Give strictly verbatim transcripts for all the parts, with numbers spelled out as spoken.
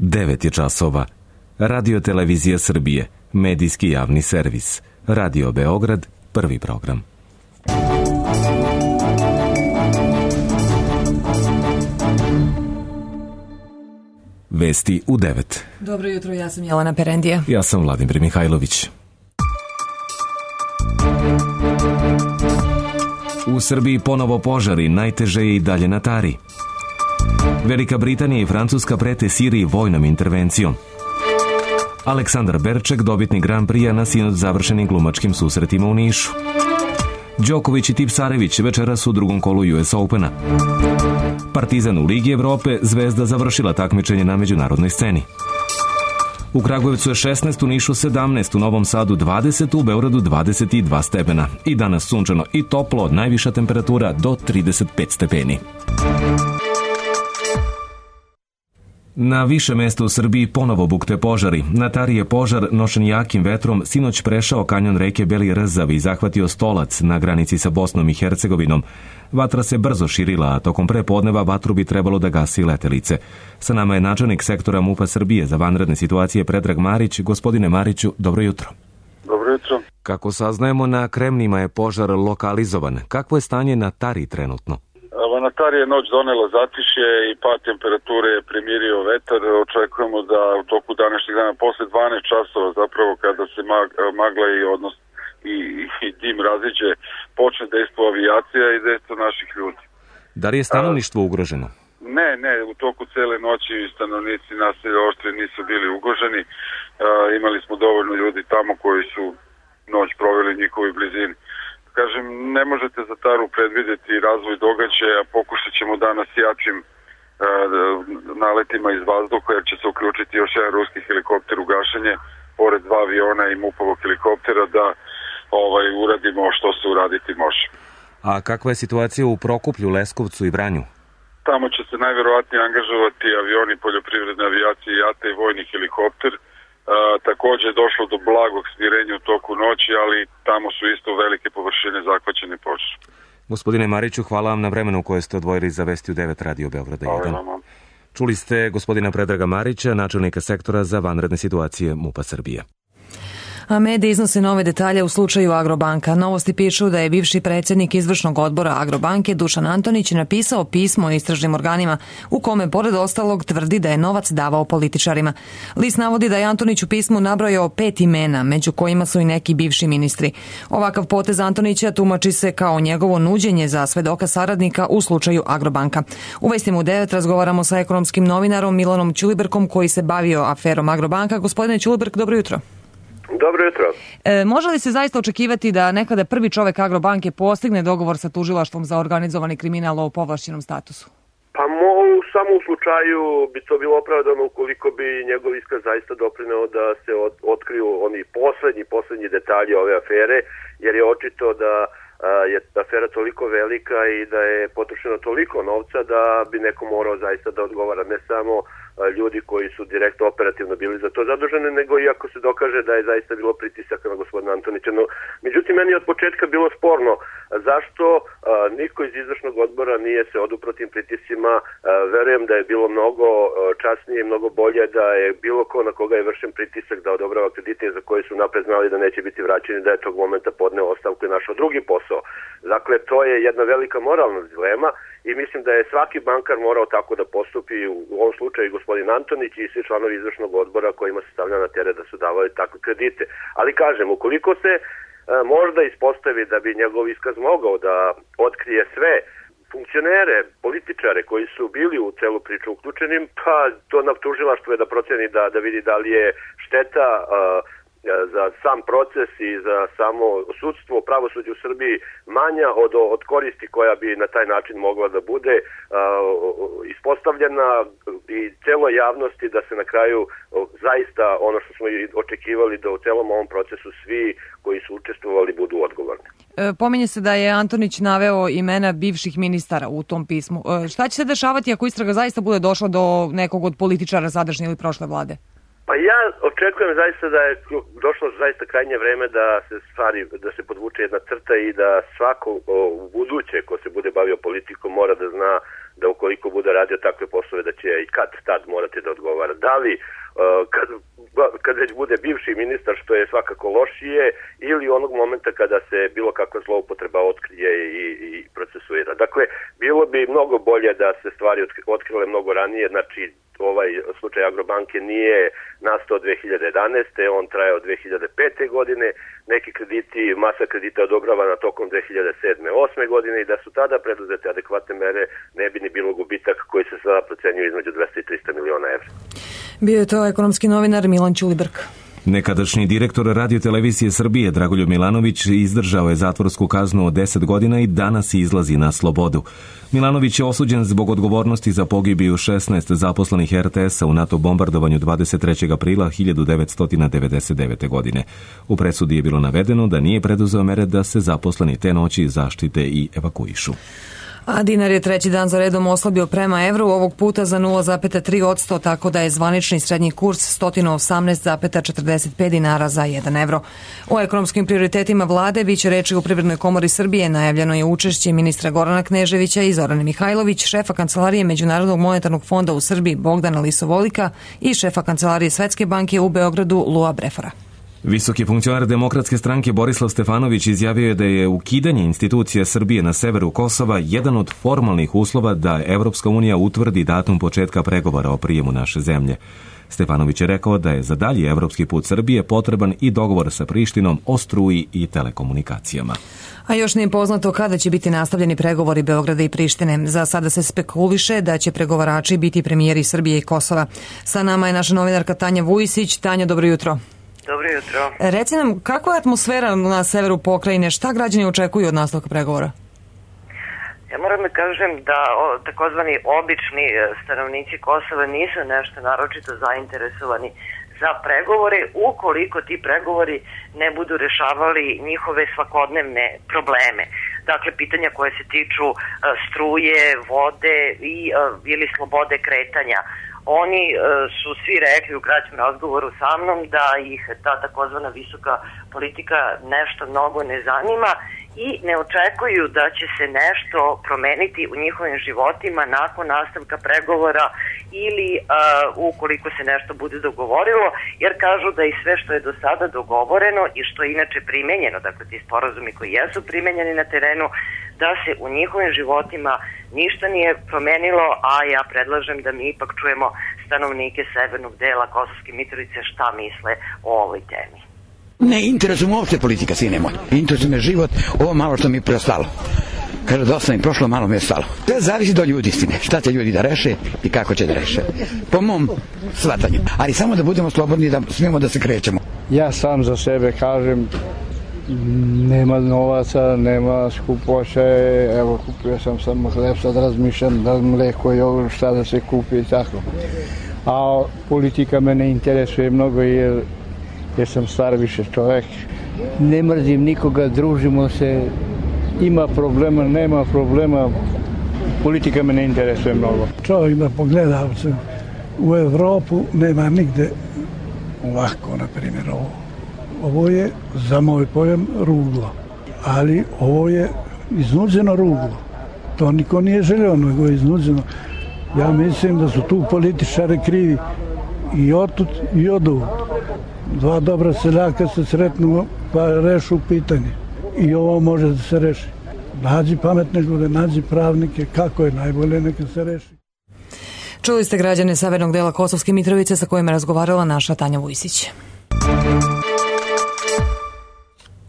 devet je časova. Radio Televizija Srbije, medijski javni servis. Radio Beograd, prvi program. Vesti u devet. Dobro jutro, ja sam Jelena Perendija. Ja sam Vladimir Mihajlović. U Srbiji ponovo požari, najteže je i dalje na Tari. Velika Britanija i Francuska prete Siriji vojnom intervencijom. Aleksandar Berček, dobitnik Grand Prix-a na sinoć završenim glumačkim susretima u Nišu. Đoković i Tipsarević večeras u drugom kolu U S Opena. Partizan u Ligi Evrope, Zvezda završila takmičenje na međunarodnoj sceni. U Kragujevcu je šesnaest, u Nišu sedamnaest, u Novom Sadu dvadeset, u Beogradu dvadeset dva stepena. I danas sunčano i toplo, najviša temperatura do trideset pet stepeni. Na više mesta u Srbiji ponovo bukte požari. Na Tari je požar nošen jakim vetrom sinoć prešao kanjon reke Beli Rzav i zahvatio Stolac na granici sa Bosnom i Hercegovinom. Vatra se brzo širila, a tokom prepodneva vatru bi trebalo da gasi letelice. Sa nama je načelnik sektora MUP-a Srbije za vanredne situacije Predrag Marić. Gospodine Mariću, dobro jutro. Dobro jutro. Kako saznajemo, na Kremnima je požar lokalizovan. Kakvo je stanje na Tari trenutno? Na Tari je noć donela zatišje i pad temperature je primirio vetar. Očekujemo da u toku današnjeg dana, posle dvanaest časova zapravo, kada se magla i odnos i, i dim raziđe, počne dejstvo avijacija i dejstvo naših ljudi. Da li je stanovništvo ugroženo? Ne, ne, u toku cele noći stanovnici naselja Oštrije nisu bili ugroženi. A, imali smo dovoljno ljudi tamo koji su noć proveli u njihovoj blizini. Kažem, ne možete za Taru predvidjeti razvoj događaja, pokušat ćemo danas jačim e, naletima iz vazduha, jer će se uključiti još jedan ruski helikopter u gašenje, pored dva aviona i MUP-ovog helikoptera, da ovaj, uradimo što se uraditi može. A kakva je situacija u Prokuplju, Leskovcu i Vranju? Tamo će se najverovatnije angažovati avioni poljoprivredne avijacije i jata i vojni helikopter. Uh, također je došlo do blagog smirenja u toku noći, ali tamo su isto velike površine zahvaćene požarom. Gospodine Mariću, hvala vam na vremenu koje ste odvojili za Vesti u devet Radio Beograda jedan. Čuli ste gospodina Predraga Marića, načelnika sektora za vanredne situacije MUP-a Srbije. A mediji iznose nove detalje u slučaju Agrobanka. Novosti pišu da je bivši predsjednik izvršnog odbora Agrobanke Dušan Antonić napisao pismo istražnim organima u kome pored ostalog tvrdi da je novac davao političarima. List navodi da je Antonić u pismu nabrojao pet imena, među kojima su i neki bivši ministri. Ovakav potez Antonića tumači se kao njegovo nuđenje za svedoka saradnika u slučaju Agrobanka. U Vestima u devet razgovaramo sa ekonomskim novinarom Milanom Ćulibrkom koji se bavio aferom Agrobanka. Gospodine Ćulibrk, dobro jutro. Dobro jutro. E, može li se zaista očekivati da nekada prvi čovek Agrobanke postigne dogovor sa tužilaštvom za organizovani kriminal o povlašćenom statusu? Pa mo, samo u slučaju bi to bilo opravdano ukoliko bi njegov iskaz zaista doprineo da se od, otkriju oni poslednji, poslednji detalji ove afere, jer je očito da a, je afera toliko velika i da je potrošeno toliko novca da bi neko morao zaista da odgovara, ne samo ljudi koji su direktno operativno bili za to zaduženi, nego i ako se dokaže da je zaista bilo pritisaka na gospodina Antonića. No, međutim, meni je od početka bilo sporno zašto a, niko iz izvršnog odbora nije se odupro tim pritiscima. A, verujem da je bilo mnogo a, časnije i mnogo bolje da je bilo ko na koga je vršen pritisak da odobrava kredite za koje su napred znali da neće biti vraćeni, da je tog momenta podneo ostavku i našao drugi posao. Dakle, to je jedna velika moralna dilema i mislim da je svaki bankar morao tako da postupi, u ovom slučaju gospodin Antonić i svi članovi izvršnog odbora kojima se stavlja na teret da su davali takve kredite. Ali kažem, ukoliko se e, možda ispostavi da bi njegov iskaz mogao da otkrije sve funkcionere, političare koji su bili u celu priču uključenim, pa to na tužilaštvu je da proceni da, da vidi da li je šteta e, za sam proces i za samo sudstvo, pravosuđe u Srbiji manja od, od koristi koja bi na taj način mogla da bude uh, ispostavljena i celoj javnosti, da se na kraju uh, zaista ono što smo i očekivali da u celom ovom procesu svi koji su učestvovali budu odgovorni. E, pominje se da je Antonić naveo imena bivših ministara u tom pismu. E, šta će se dešavati ako istraga zaista bude došla do nekog od političara sadašnje ili prošle vlade? Pa ja očekujem zaista da je došlo zaista krajnje vreme da se stvari, da se podvuče jedna crta i da svako u buduće ko se bude bavio politikom mora da zna da ukoliko bude radio takve poslove da će i kad tad morati da odgovara. Da li kad, kad već bude bivši ministar, što je svakako lošije, ili onog momenta kada se bilo kakva zloupotreba otkrije i, i procesuira. Dakle, bilo bi mnogo bolje da se stvari otkrile mnogo ranije, znači ovaj slučaj Agrobanke nije nastao dve hiljade jedanaeste. on traje od dve hiljade pete. godine, neki krediti, masa kredita odobravana tokom dve hiljade sedme. osme. godine i da su tada preduzete adekvatne mere, ne bi ni bilo gubitak koji se sada procenjuje između dvesta i trista miliona evra. Bio je to ekonomski novinar Milan Ćulibrk. Nekadašnji direktor Radio-televizije Srbije Dragoljub Milanović izdržao je zatvorsku kaznu od deset godina i danas izlazi na slobodu. Milanović je osuđen zbog odgovornosti za pogibiju šesnaest zaposlenih er te esa u NATO bombardovanju dvadeset trećeg aprila hiljadu devetsto devedeset devete. godine. U presudi je bilo navedeno da nije preduzeo mere da se zaposleni te noći zaštite i evakuišu. A dinar je treći dan za redom oslabio prema evru, ovog puta za nula zarez tri posto, tako da je zvanični srednji kurs sto osamnaest zarez četrdeset pet dinara za jedan evro. O ekonomskim prioritetima vlade biće reči u Privrednoj komori Srbije. Najavljeno je učešće ministra Gorana Kneževića i Zorane Mihajlović, šefa kancelarije Međunarodnog monetarnog fonda u Srbiji Bogdana Lisovolika i šefa kancelarije Svetske banke u Beogradu Lua Brefora. Visoki funkcionar Demokratske stranke Borislav Stefanović izjavio je da je ukidanje institucija Srbije na severu Kosova jedan od formalnih uslova da Evropska unija utvrdi datum početka pregovora o prijemu naše zemlje. Stefanović je rekao da je za dalji evropski put Srbije potreban i dogovor sa Prištinom o struji i telekomunikacijama. A još nije poznato kada će biti nastavljeni pregovori Beograda i Prištine. Za sada se spekuliše da će pregovarači biti premijeri Srbije i Kosova. Sa nama je naša novinarka Tanja Vujisić. Tanja, dobro jutro. Dobro jutro. Reci nam, kakva je atmosfera na severu pokrajine? Šta građani očekuju od nastavka pregovora? Ja moram da kažem da o, takozvani obični stanovnici Kosova nisu nešto naročito zainteresovani za pregovore, ukoliko ti pregovori ne budu rešavali njihove svakodnevne probleme. Dakle, pitanja koje se tiču a, struje, vode i a, ili slobode kretanja. Oni e, su svi rekli u kraćem razgovoru sa mnom da ih ta takozvana visoka politika nešto mnogo ne zanima i ne očekuju da će se nešto promeniti u njihovim životima nakon nastavka pregovora ili a, ukoliko se nešto bude dogovorilo, jer kažu da i sve što je do sada dogovoreno i što je inače primenjeno, dakle ti sporazumi koji jesu primenjeni na terenu, da se u njihovim životima ništa nije promenilo, a ja predlažem da mi ipak čujemo stanovnike severnog dela Kosovske Mitrovice šta misle o ovoj temi. Ne interesuje me uopšte politika, sine moj. Interesuje me život, ovo malo što mi je preostalo. Kaže, dosta mi prošlo, malo mi je stalo. To zavisi do ljudi, istine. Šta će ljudi da reše i kako će da reše. Po mom shvatanju. Ali samo da budemo slobodni, da smijemo da se krećemo. Ja sam za sebe kažem, nema novaca, nema skupoće, evo kupio sam samo hleb, sad razmišljam da mleko i ovo šta da se kupi i tako. A politika me ne interesuje mnogo jer, jer sam star više čovek. Ne mrzim nikoga, družimo se, ima problema, nema problema, politika me ne interesuje mnogo. Čovjek da pogleda u Evropu nema nigde ovako, na primjer ovo. Ovo je, za moj pojam, ruglo. Ali ovo je iznuđeno ruglo. To niko nije želeo, nego je iznuđeno. Ja mislim da su tu političari krivi i otud i oduvud. Dva dobra seljaka se sretnu pa rešu pitanje. I ovo može da se reši. Nađi pametne ljude, nađi pravnike, kako je najbolje, neka se reši. Čuli ste građane severnog dela Kosovske Mitrovice sa kojima je razgovarala naša Tanja Vujisić.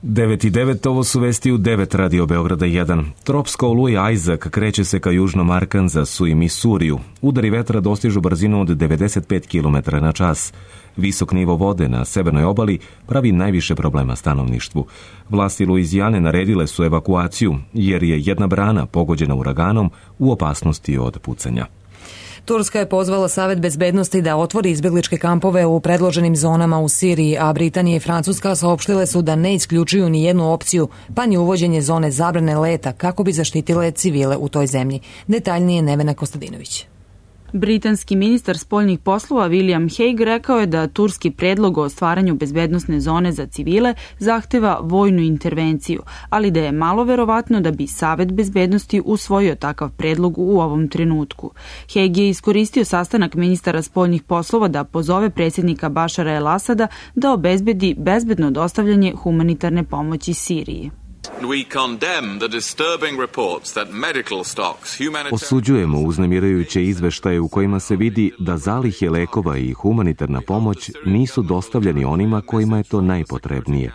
devet i devet, ovo su vesti u devet Radio Beograda jedan. Tropska oluja Isaac kreće se ka južnom Arkanzasu i Misuriju. Udari vetra dostižu brzinu od devedeset pet kilometara na čas. Visok nivo vode na severnoj obali pravi najviše problema stanovništvu. Vlasti Luizijane naredile su evakuaciju jer je jedna brana pogođena uraganom u opasnosti od pucanja. Turska je pozvala Savet bezbednosti da otvori izbjegličke kampove u predloženim zonama u Siriji, a Britanija i Francuska saopštile su da ne isključuju ni jednu opciju, pa ni uvođenje zone zabrane leta kako bi zaštitile civile u toj zemlji. Detaljnije Nevena Kostadinović. Britanski ministar spoljnih poslova William Hague rekao je da turski predlog o stvaranju bezbednosne zone za civile zahteva vojnu intervenciju, ali da je malo verovatno da bi Savet bezbednosti usvojio takav predlog u ovom trenutku. Hague je iskoristio sastanak ministara spoljnih poslova da pozove predsjednika Bašara el Asada da obezbedi bezbedno dostavljanje humanitarne pomoći Siriji. Osuđujemo uznemirajuće izveštaje u kojima se vidi da zalihe lekova i humanitarna pomoć nisu dostavljeni onima kojima je to najpotrebnije.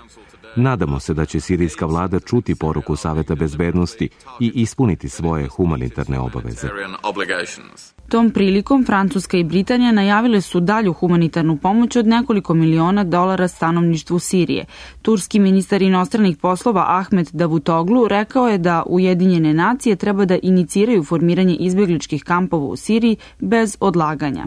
Nadamo se da će sirijska vlada čuti poruku Saveta bezbednosti i ispuniti svoje humanitarne obaveze. Tom prilikom Francuska i Britanija najavile su dalju humanitarnu pomoć od nekoliko miliona dolara stanovništvu Sirije. Turski ministar inostranih poslova Ahmet Davutoglu rekao je da Ujedinjene nacije treba da iniciraju formiranje izbegličkih kampova u Siriji bez odlaganja.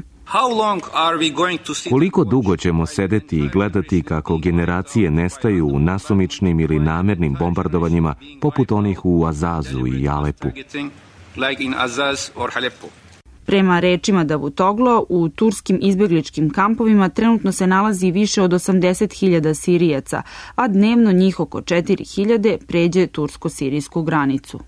Koliko dugo ćemo sedeti i gledati kako generacije nestaju u nasumičnim ili namernim bombardovanjima poput onih u Azazu i Alepu? Prema rečima Davutoglu, u turskim izbegličkim kampovima trenutno se nalazi više od osamdeset hiljada Sirijaca, a dnevno njih oko četiri hiljade pređe tursko-sirijsku granicu.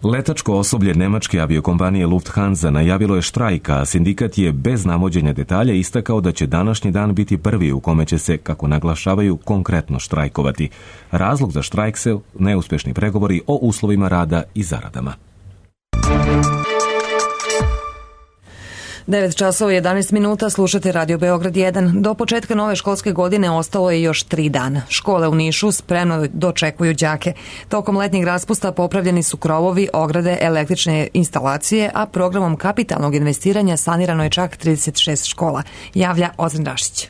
Letačko osoblje nemačke aviokompanije Lufthansa najavilo je štrajk, a sindikat je bez navođenja detalja istakao da će današnji dan biti prvi u kome će se, kako naglašavaju, konkretno štrajkovati. Razlog za štrajk se neuspešni pregovori o uslovima rada i zaradama. devet časova i jedanaest minuta, slušate Radio Beograd jedan. Do početka nove školske godine ostalo je još tri dana. Škole u Nišu spremno dočekuju đake. Tokom letnjeg raspusta popravljeni su krovovi, ograde, električne instalacije, a programom kapitalnog investiranja sanirano je čak trideset šest škola, javlja Ozren Rašić.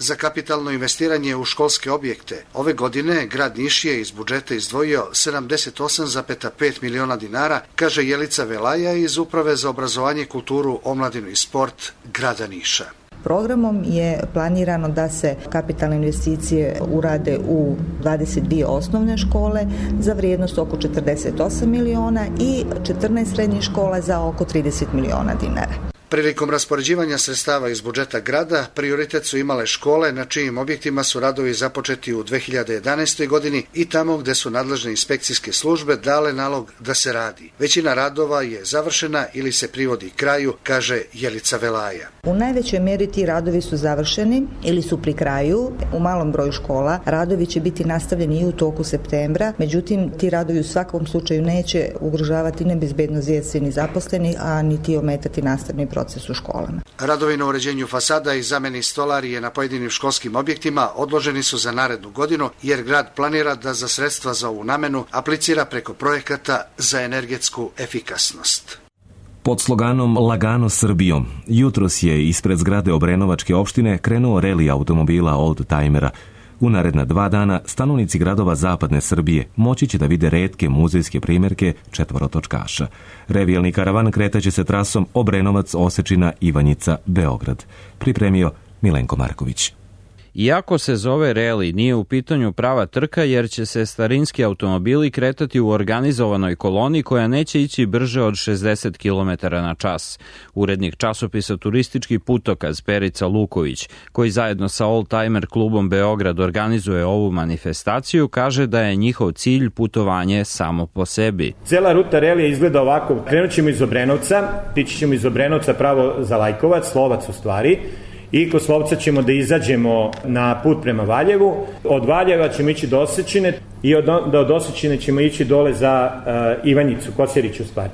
Za kapitalno investiranje u školske objekte ove godine grad Niš je iz budžeta izdvojio sedamdeset osam zarez pet miliona dinara, kaže Jelica Velaja iz Uprave za obrazovanje, kulturu, omladinu i sport grada Niša. Programom je planirano da se kapitalne investicije urade u dvadeset dvije osnovne škole za vrijednost oko četrdeset osam miliona i četrnaest srednjih škola za oko trideset miliona dinara. Prilikom raspoređivanja sredstava iz budžeta grada, prioritet su imale škole na čijim objektima su radovi započeti u dve hiljade jedanaestoj godini i tamo gde su nadležne inspekcijske službe dale nalog da se radi. Većina radova je završena ili se privodi kraju, kaže Jelica Velaja. U najvećoj mjeri ti radovi su završeni ili su pri kraju. U malom broju škola radovi će biti nastavljeni i u toku septembra, međutim ti radovi u svakom slučaju neće ugrožavati ne bezbednost djece ni zaposlenih, a niti ometati nastavni proces u školama. Radovi na uređenju fasada i zameni stolarije na pojedinim školskim objektima odloženi su za narednu godinu, jer grad planira da za sredstva za ovu namenu aplicira preko projekata za energetsku efikasnost. Pod sloganom Lagano Srbijom, jutros je ispred zgrade Obrenovačke opštine krenuo reli automobila oldtimera. U naredna dva dana stanovnici gradova zapadne Srbije moći će da vide retke muzejske primjerke četvorotočkaša. Revijalni karavan kretaće se trasom Obrenovac, Osečina, Ivanjica, Beograd. Pripremio Milenko Marković. Iako se zove reli, nije u pitanju prava trka jer će se starinski automobili kretati u organizovanoj koloni koja neće ići brže od šezdeset kilometara na čas. Urednik časopisa Turistički putokaz Perica Luković, koji zajedno sa Oldtimer klubom Beograd organizuje ovu manifestaciju, kaže da je njihov cilj putovanje samo po sebi. Cela ruta relija izgleda ovako. Krenut ćemo iz Obrenovca, tići ćemo iz Obrenovca pravo za Lajkovac, Slovac u stvari, i kod Slovca ćemo da izađemo na put prema Valjevu. Od Valjeva ćemo ići do Osečine i od, da od Osečine ćemo ići dole za uh, Ivanjicu, Kosjerić u stvari.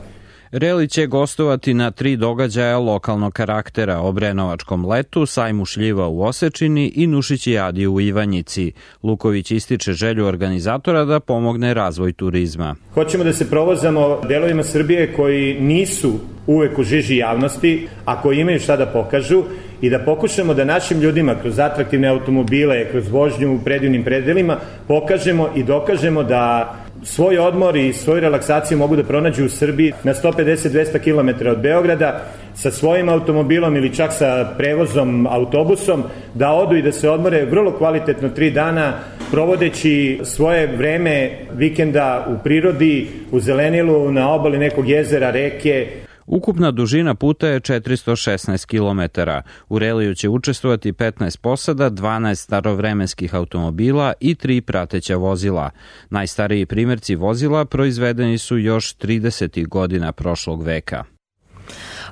Reli će gostovati na tri događaja lokalnog karaktera: Obrenovačkom letu, sajmu šljiva u Osečini i Nušićijadi u Ivanjici. Luković ističe želju organizatora da pomogne razvoj turizma. Hoćemo da se provozamo delovima Srbije koji nisu uvek u žiži javnosti, a koji imaju šta da pokažu, i da pokušamo da našim ljudima kroz atraktivne automobile, kroz vožnju u predivnim predelima pokažemo i dokažemo da svoj odmor i svoju relaksaciju mogu da pronađu u Srbiji na sto pedeset do dvesta kilometara od Beograda sa svojim automobilom ili čak sa prevozom autobusom, da odu i da se odmore vrlo kvalitetno tri dana provodeći svoje vreme vikenda u prirodi, u zelenilu, na obali nekog jezera, reke. Ukupna dužina puta je četiristo šesnaest kilometara. U reliju će učestvovati petnaest posada, dvanaest starovremenskih automobila i tri prateća vozila. Najstariji primjerci vozila proizvedeni su još tridesetih godina prošlog veka.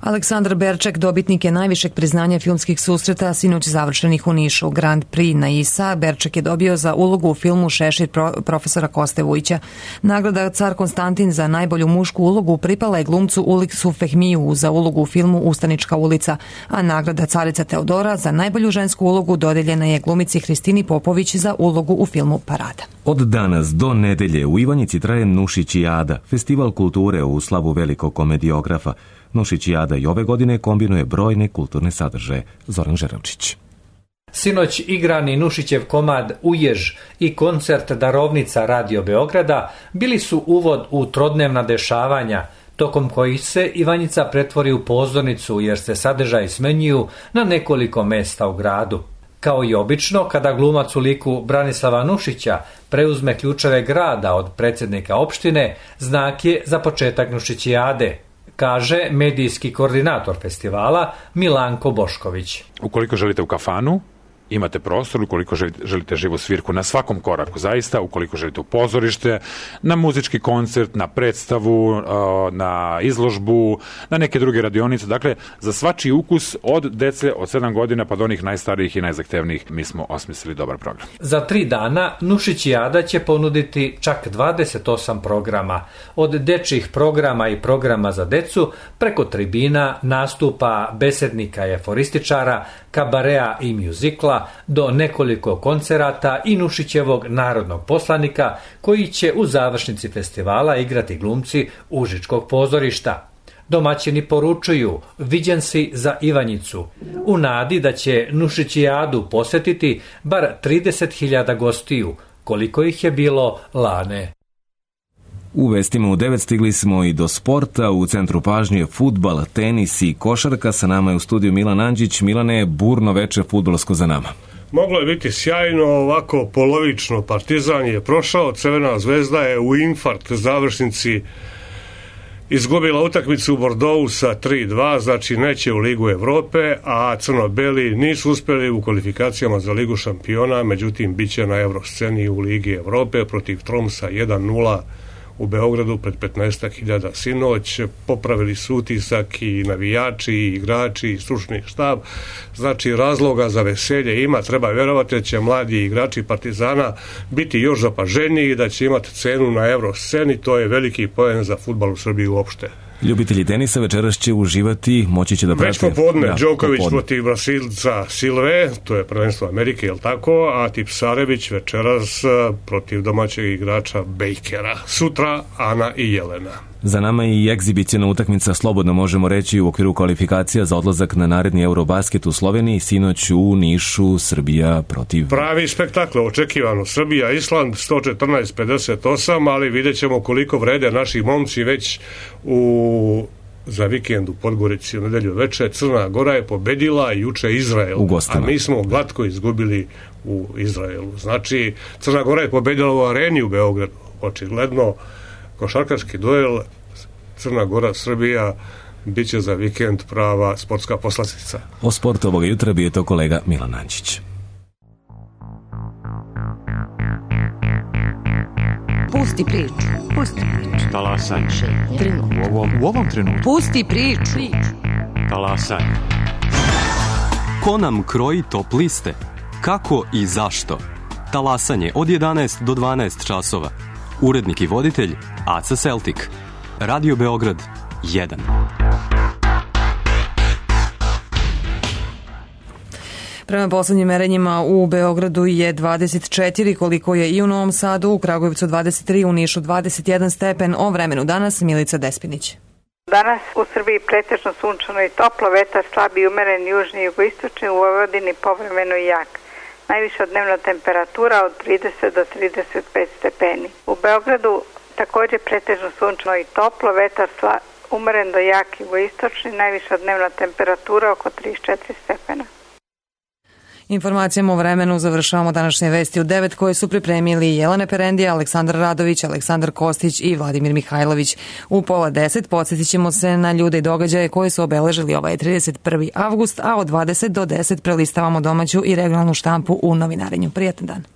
Aleksandar Berček dobitnik je najvišeg priznanja filmskih susreta sinoć završenih u Nišu. Grand Prix na I S A Berček je dobio za ulogu u filmu Šešir profesora Koste Vujića. Nagrada Car Konstantin za najbolju mušku ulogu pripala je glumcu Uliksu Fehmiju za ulogu u filmu Ustanička ulica, a nagrada Carica Teodora za najbolju žensku ulogu dodeljena je glumici Hristini Popović za ulogu u filmu Parada. Od danas do nedelje u Ivanjici traje Nušićijada, festival kulture u slavu velikog komediografa. Nušićijada i ove godine kombinuje brojne kulturne sadržaje. Zoran Žeravčić. Sinoć igrani Nušićev komad Ujež i koncert Darovnica Radio Beograda bili su uvod u trodnevna dešavanja, tokom kojih se Ivanjica pretvori u pozornicu jer se sadržaji smenjuju na nekoliko mesta u gradu. Kao i obično, kada glumac u liku Branislava Nušića preuzme ključeve grada od predsjednika opštine, znak je za početak Nušićijade, kaže medijski koordinator festivala Milanko Bošković. Ukoliko želite u kafanu, imate prostor, ukoliko želite živu svirku na svakom koraku, zaista, ukoliko želite u pozorište, na muzički koncert, na predstavu, na izložbu, na neke druge radionice, dakle, za svačiji ukus od dece od sedam godina pa do onih najstarijih i najzahtevnijih mi smo osmislili dobar program. Za tri dana Nušićijada će ponuditi čak dvadeset osam programa, od dečjih programa i programa za decu, preko tribina, nastupa, besednika i aforističara, kabarea i mjuzikla, do nekoliko koncerata i Nušićevog narodnog poslanika koji će u završnici festivala igrati glumci Užičkog pozorišta. Domaćini poručuju, viđen si za Ivanjicu, u nadi da će Nušićijadu posjetiti bar trideset hiljada gostiju, koliko ih je bilo lane. U vestima u devet stigli smo i do sporta. U centru pažnje fudbal, tenis i košarka. Sa nama je u studiju Milan Anđić. Milane, burno veče fudbalsko za nama. Moglo je biti sjajno, ovako polovično. Partizan je prošao, Crvena zvezda je u infarkt završnici izgubila utakmicu u Bordeauxu sa tri dva, znači neće u Ligu Evrope, a crno-beli nisu uspjeli u kvalifikacijama za Ligu šampiona, međutim bit će na Evrosceni u Ligi Evrope protiv Tromsa jedan nula u Beogradu pred petnaest hiljada sinoć. Popravili su utisak i navijači, i igrači, i stručni štab. Znači razloga za veselje ima, treba vjerovati da će mladi igrači Partizana biti još zapaženiji i da će imati cenu na Evrosceni. To je veliki poen za fudbal u Srbiji uopšte. Ljubitelji tenisa večeras će uživati, moći će da prate. Već popodne, ja, Đoković popodne. Protiv Brasilca Silve, to je prvenstvo Amerike, je li tako? A Tipsarević večeras protiv domaćeg igrača Bakera. Sutra Ana i Jelena. Za nama i egzibicijna utakmica, slobodno možemo reći, u okviru kvalifikacija za odlazak na naredni Eurobasket u Sloveniji, sinoć u Nišu, Srbija protiv... Pravi spektakl, očekivano. Srbija, Island, sto četrnaest pedeset osam, ali vidjet ćemo koliko vrede naši momci već u... za vikend u Podgorici u nedelju veče. Crna Gora je pobedila juče Izrael, a mi smo glatko izgubili u Izraelu. Znači, Crna Gora je pobedila u areni u Beogradu, očigledno. Košarkaški duel Crna Gora Srbija bit će za vikend prava sportska poslastica. O sportu ovoga jutra bio je to kolega Milan Anđić. Pusti priču. Pusti priču. Talasaj. U ovom, u ovom trenutku. Pusti priču. Talasaj. Ko nam kroji top liste? Kako i zašto? Talasanje od jedanaest do dvanaest časova. Urednik i voditelj Aca Celtic. Radio Beograd jedan. Prema poslednjim merenjima u Beogradu je dvadeset četiri, koliko je i u Novom Sadu, u Kragujevcu dvadeset tri, u Nišu dvadeset jedan stepen. O vremenu danas Milica Despinić. Danas u Srbiji pretežno sunčano i toplo, vetar slab i umeren južni i jugoistočni, u Vojvodini povremeno i jak. Najviša dnevna temperatura od trideset do trideset pet stepeni. U Beogradu također pretežno sunčano i toplo, vetar sla, umeren do jak jugoistočni, najviša dnevna temperatura oko trideset četiri stepena. Informacijama o vremenu završavamo današnje vesti u devet koje su pripremili Jelena Perendija, Aleksandar Radović, Aleksandar Kostić i Vladimir Mihajlović. U pola deset podsjetit ćemo se na ljude i događaje koji su obeležili ovaj trideset prvi avgust, a od dvadeset do deset prelistavamo domaću i regionalnu štampu u novinarenju. Prijatan dan.